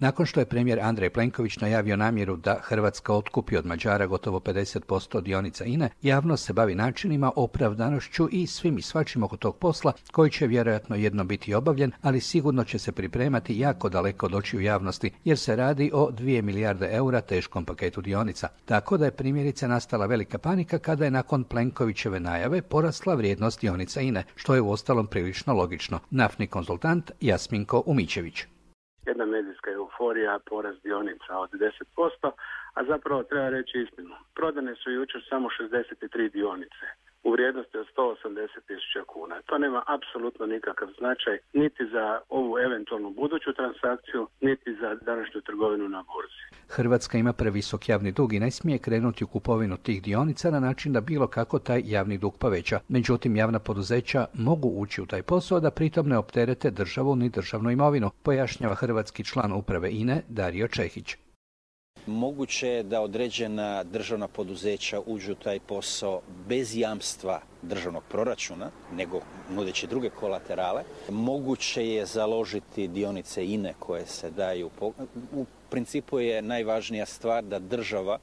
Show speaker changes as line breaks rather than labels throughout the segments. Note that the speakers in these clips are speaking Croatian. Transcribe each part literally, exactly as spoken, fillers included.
Nakon što je premijer Andrej Plenković najavio namjeru da Hrvatska otkupi od Mađara gotovo pedeset posto dionica I N E, javnost se bavi načinima, opravdanošću i svim i svačim oko tog posla, koji će vjerojatno jedno biti obavljen, ali sigurno će se pripremati jako daleko od očiju javnosti, jer se radi o dvije milijarde eura teškom paketu dionica. Tako da je primjerice nastala velika panika kada je nakon Plenkovićeve najave porasla vrijednost dionica I N E, što je uostalom prilično logično. Naftni konzultant Jasminko Umićević.
Jedna medijska euforija, porast dionica od deset posto, a zapravo treba reći istinu. Prodane su jučer samo šezdeset tri dionice u vrijednosti od sto osamdeset tisuća kuna. To nema apsolutno nikakav značaj niti za ovu eventualnu buduću transakciju, niti za današnju trgovinu na burzi.
Hrvatska ima previsok javni dug i ne smije krenuti u kupovinu tih dionica na način da bilo kako taj javni dug poveća. Međutim, javna poduzeća mogu ući u taj posao da pritom ne opterete državu ni državnu imovinu, pojašnjava hrvatski član uprave I N E Dario Čehić.
Moguće je da određena državna poduzeća uđu u taj posao bez jamstva državnog proračuna, nego nudeći druge kolaterale. Moguće je založiti dionice I N E koje se daju. U principu je najvažnija stvar da država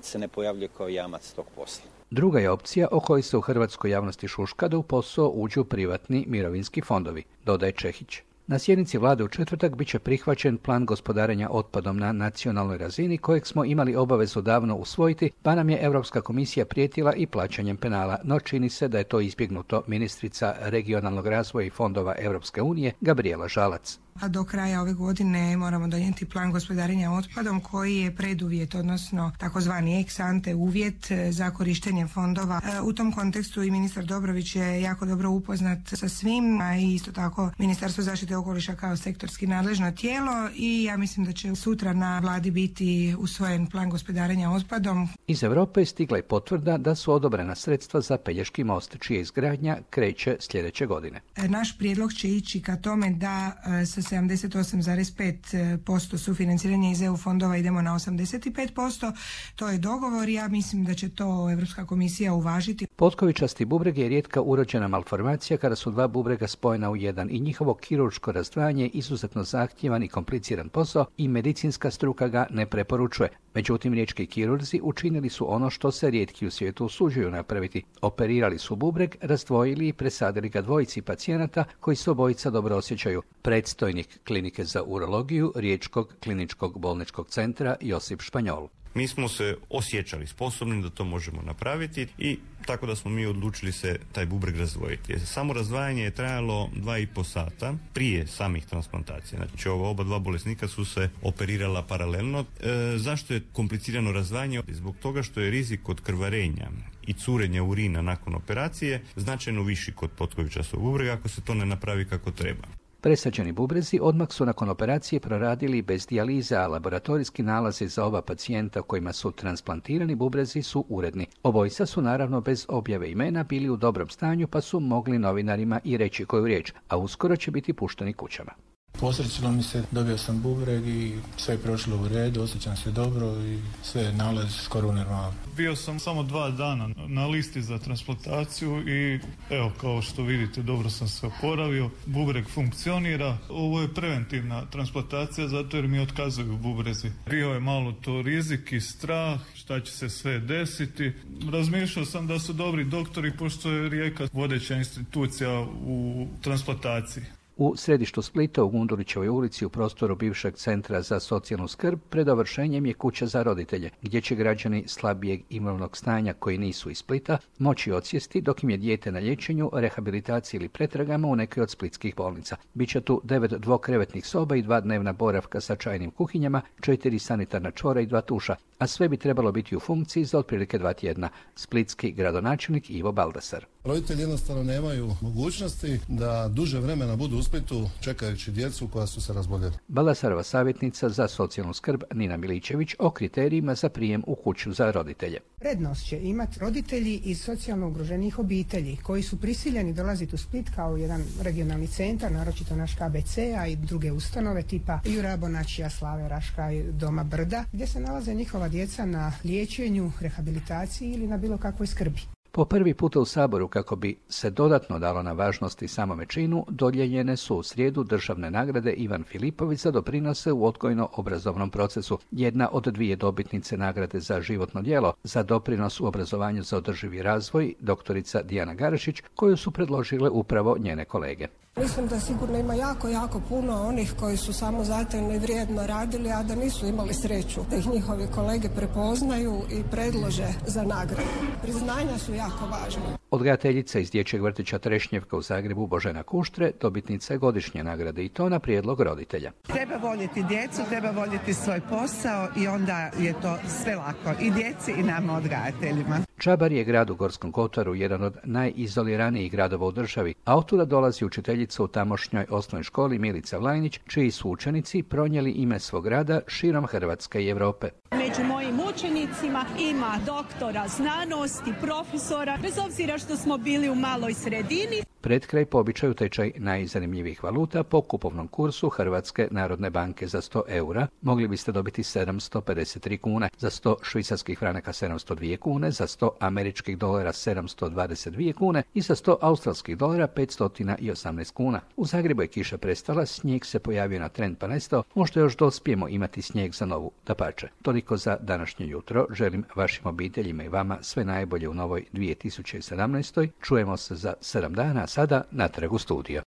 se ne pojavljuje kao jamac tog posla.
Druga je opcija o kojoj se u hrvatskoj javnosti šuška da u posao uđu privatni mirovinski fondovi, dodaje Čehić. Na sjednici vlade u četvrtak bit će prihvaćen plan gospodarenja otpadom na nacionalnoj razini kojeg smo imali obavezu davno usvojiti, pa nam je Europska komisija prijetila i plaćanjem penala, no čini se da je to izbjegnuto. Ministrica regionalnog razvoja i fondova Europske unije Gabrijela Žalac.
A do kraja ove godine moramo donijeti plan gospodarenja otpadom koji je preduvjet, odnosno takozvani ex ante uvjet za korištenje fondova. U tom kontekstu i ministar Dobrović je jako dobro upoznat sa svim, a i isto tako Ministarstvo zaštite okoliša kao sektorski nadležno tijelo i ja mislim da će sutra na vladi biti usvojen plan gospodarenja otpadom.
Iz Europe je stigla i potvrda da su odobrena sredstva za Pelješki most, čija izgradnja kreće sljedeće godine.
Naš prijedlog će ići ka tome da sa sedamdeset osam zarez pet posto sufinanciranja iz E U fondova idemo na osamdeset pet posto. To je dogovor i ja mislim da će to Europska komisija uvažiti.
Potkovičasti bubreg je rijetka urođena malformacija kada su dva bubrega spojena u jedan i njihovo kirurško razdvajanje je izuzetno zahtjevan i kompliciran posao i medicinska struka ga ne preporučuje. Međutim, riječki kirurzi učinili su ono što se rijetki u svijetu usuđuju napraviti. Operirali su bubreg, razdvojili i presadili ga dvojici pacijenata koji se obojica dobro osjećaju. Predstojnik klinike za urologiju Riječkog kliničkog bolničkog centra Josip Španjol.
Mi smo se osjećali sposobni da to možemo napraviti i tako da smo mi odlučili se taj bubreg razdvojiti. Samo razdvajanje je trajalo dva i po sata prije samih transplantacija. Znači ova oba dva bolesnika su se operirala paralelno. E, zašto je komplicirano razdvajanje? Zbog toga što je rizik od krvarenja i curenja urina nakon operacije značajno viši kod potkovičastog bubrega ako se to ne napravi kako treba.
Presađeni bubrezi odmah su nakon operacije proradili bez dijalize, a laboratorijski nalazi za oba pacijenta kojima su transplantirani bubrezi su uredni. Obojica su naravno bez objave imena bili u dobrom stanju pa su mogli novinarima i reći koju riječ, a uskoro će biti pušteni kućama.
Posrećilo mi se, dobio sam bubreg i sve je prošlo u redu, osjećam se dobro i sve je nalaz skoro normalno.
Bio sam samo dva dana na listi za transplantaciju i evo kao što vidite dobro sam se oporavio, bubreg funkcionira. Ovo je preventivna transplantacija zato jer mi otkazuju bubrezi. Bio je malo to rizik i strah, šta će se sve desiti. Razmišljao sam da su dobri doktori pošto je Rijeka vodeća institucija u transplantaciji.
U središtu Splita u Gundulićevoj ulici u prostoru bivšeg centra za socijalnu skrb pred dovršenjem je kuća za roditelje, gdje će građani slabijeg imovnog stanja koji nisu iz Splita moći odsjesti dok im je dijete na liječenju, rehabilitaciji ili pretragama u nekoj od splitskih bolnica. Biće tu devet dvokrevetnih soba i dva dnevna boravka sa čajnim kuhinjama, četiri sanitarna čvora i dva tuša, a sve bi trebalo biti u funkciji za otprilike dva tjedna. Splitski gradonačelnik Ivo Baldasar.
Roditelji jednostavno nemaju mogućnosti da duže vremena budu u Splitu čekajući djecu koja su se razboljela.
Baldasarova savjetnica za socijalnu skrb Nina Miličević o kriterijima za prijem u kuću za roditelje.
Prednost će imati roditelji iz socijalno ugroženih obitelji koji su prisiljeni dolaziti u Split kao jedan regionalni centar, naročito naš K B C, a i druge ustanove tipa Jura Bonačija, Slave Raška i Doma Brda, gdje se nalaze njihova djeca na liječenju, rehabilitaciji ili na bilo kakvoj skrbi.
Po prvi puta u Saboru, kako bi se dodatno dalo na važnosti samome činu, dodijeljene su u srijedu državne nagrade Ivan Filipović za doprinose u odgojno-obrazovnom procesu. Jedna od dvije dobitnice nagrade za životno djelo za doprinos u obrazovanju za održivi razvoj, doktorica Dijana Garašić, koju su predložile upravo njene kolege.
Mislim da sigurno ima jako, jako puno onih koji su samo zatajno i vrijedno radili, a da nisu imali sreću da ih njihovi kolege prepoznaju i predlože za nagradu. Priznanja su jako važne.
Odgajateljica iz dječjeg vrtića Trešnjevka u Zagrebu Božena Kuštre dobitnica je godišnje nagrade i to na prijedlog roditelja.
Treba voljeti djecu, treba voljeti svoj posao i onda je to sve lako i djeci i nama odgajateljima.
Čabar je grad u Gorskom Kotaru, jedan od najizoliranijih gradova u državi, a otuda dolazi učiteljica u tamošnjoj osnovnoj školi Milica Vlajnić, čiji su učenici pronijeli ime svog grada širom Hrvatske i Europe.
Među mojim učenicima ima doktora znanosti, profesora, bez obzira što smo bili u maloj sredini.
Pred kraj po običaju tečaj najzanimljivijih valuta po kupovnom kursu Hrvatske narodne banke za sto eura mogli biste dobiti sedamsto pedeset tri kune, za sto švicarskih franaka sedamsto dvije kune, za sto američkih dolara sedamsto dvadeset dvije kune i za sto australskih dolara petsto osamnaest kuna. U Zagrebu je kiša prestala, snijeg se pojavio na tren pa nestao, možda još dospijemo imati snijeg za novu dapače. Toliko za današnje jutro. Želim vašim obiteljima i vama sve najbolje u novoj dvije tisuće sedamnaestoj. Čujemo se za sedam dana, sada natrag u studio.